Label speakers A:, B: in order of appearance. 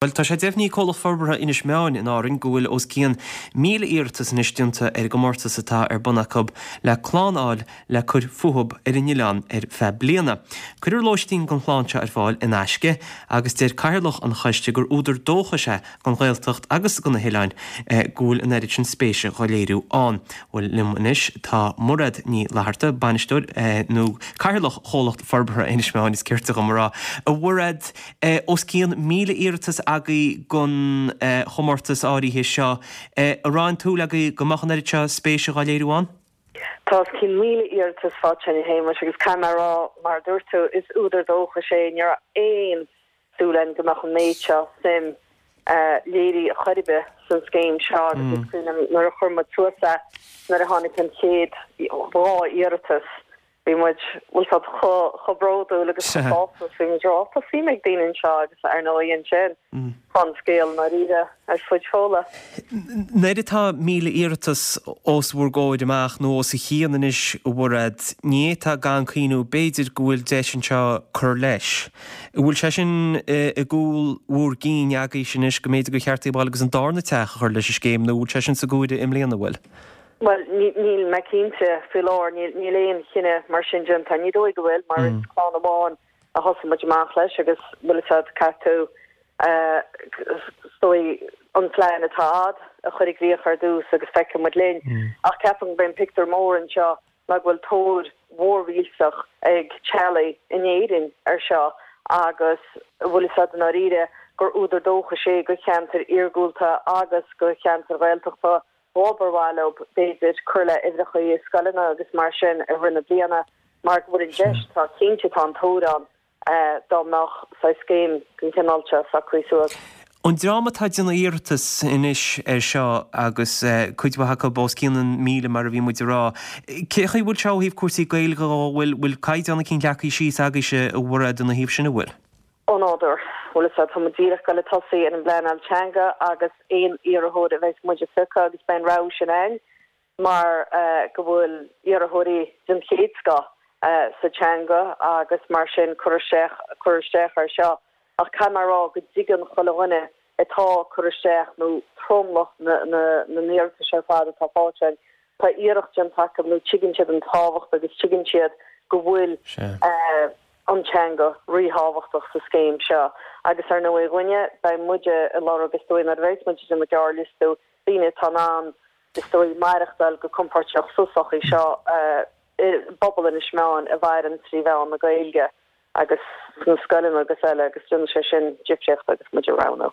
A: Bhuel, tá sé deimhnithe ag Comhlacht Forbartha Inis Meáin in Árainn go bhfuil os cionn 1,000 iarratas anois déanta ar an gcomórtas atá ar bun acu le clann a fháil le cur fúthub ar an oileán ar feadh bliana. Cuirfear lóistín don chlann seo ar fáil in aisce agus deir Cathaoirleach an choiste gur údar dóchais é don Ghaeltacht agus do na hoileáin go bhfuil an oiread sin spéise dhá léiriú ann. Bhuel, liom anois tá Mairéad Ní Fhlatharta, bainisteoir nó Cathaoirleach Chomhlacht Forbartha Inis Meáin is cirte dhom a rá. A Mhairéad, Os cionn 1,000 iarratas agaibh don chomórtas áirithe seo. An raibh aon tsúil agaibh go mbeadh an oiread seo spéise dhá léiriú ann?
B: Tá os cionn 1,000 iarratas faighte againn, a Shéamais, agus caithfidh mé a rá, mar a dúirt tú, is údar dóchais é. Ní raibh aon súil againn go mbeadh an méid seo suim léirithe chor ar bith san scéim seo agus is cuimhin liom nuair a chuir muid suas é, nuair a tháinig an chéad dhá iarratas, Bhí muid, bhfuil 's a'd, chomh bródúil agus chomh sásta is bhí muid ag rá, tá suim ag daoine anseo agus ar ndóigh ansin tá an scéal i ndáiríre ar fuid Fódhla.
A: Nuair atá 1,000 iarratas os bhur gcomhair amach nó os a chionn anois a Mhairéad, ní fhéadfá gan cuimhniú b'fhéidir go bhfuil deis anseo cur leis. An bhfuil sé sin i gcúl bhur gcinn agaibhse anois go mb'fhéidir gur cheart daoibh a ghabháil agus an darna teach a chur leis an scéim nó an bhfuil sé sin sa gcomhaireamh i mbliana, an bhfuil?
B: Bhuel, níl mé cinnte faoi láthair, níl aon chinneadh mar sin déanta. Ní dóigh go bhfuil, mar is clann amháin a thosaigh muid amach leis agus bhfuil 'fhios a'd, caithfidh tú, is dóigh, an plean atá a'd a chur i gcrích ar dtús agus feicfidh muid linn. Ach ceapaim gurb é an pictiúr mór anseo ná go bhfuil tóir mhór mhillteach ag teaghlaigh in Éirinn ar seo agus bhfuil 'fhios a'd i ndáiríre gur údar dóchais é do cheantair iargúlta agus do cheantair Ghaeltachta dhóibh ar mhaith leo, b'fhéidir, cur le uimhreacha i scoileanna agus mar sin i rith na bliana mar go bhfuil an deis, tá cinnte, tá an tóir ann dá mbeadh saghas scéim den chineál seo socraithe suas.
A: An dream atá ag déanamh iarratas anois air seo agus cuid mhaith acu os cionn an 1,000 mar a bhí muid ag rá, cé chaoi a bhfuil sé ó thaobh cúrsaí Gaeilge dhó, bhfuil caighdeán eicínt leagtha síos agaibhse a Mhairéad ina thaobh sin, an bhfuil?
B: Ó nádúr. Bhfuil 'fhios a'd, tá muid díreach ag goil ag tosaí ar an bpleanáil teanga agus aon iarrthóir a bheas muid ag piocadh agus beidh an rogha sin a'inn mar go bhfuil iarrthóirí den chéad scoth sa teanga agus mar sin cur isteach cur isteach air seo. Ach caithfidh mé a rá go dtuigeann chuile dhuine atá ag cur isteach nó tromlach na na na n-iarratais ar fad atá faighte a'inn, tá iarracht déanta acu nó tuigeann siad an tábhacht agus tuigeann siad go bhfuil an teanga ríthábhachtach sa scéim seo agus ar ndóigh dhúinne, beidh muide ag lorg is dóigh nuair a bheas muid ag déanamh gearrliostú, daoine atá in ann is dóigh maireachtáil go compóirteach sa tsochaí seo i bpobal Inis Meáin a mhaireann trí mheán na Gaeilge agus sna scoileanna agus eile agus déanfaidh sé sin difríocht agus muid ag roghnú.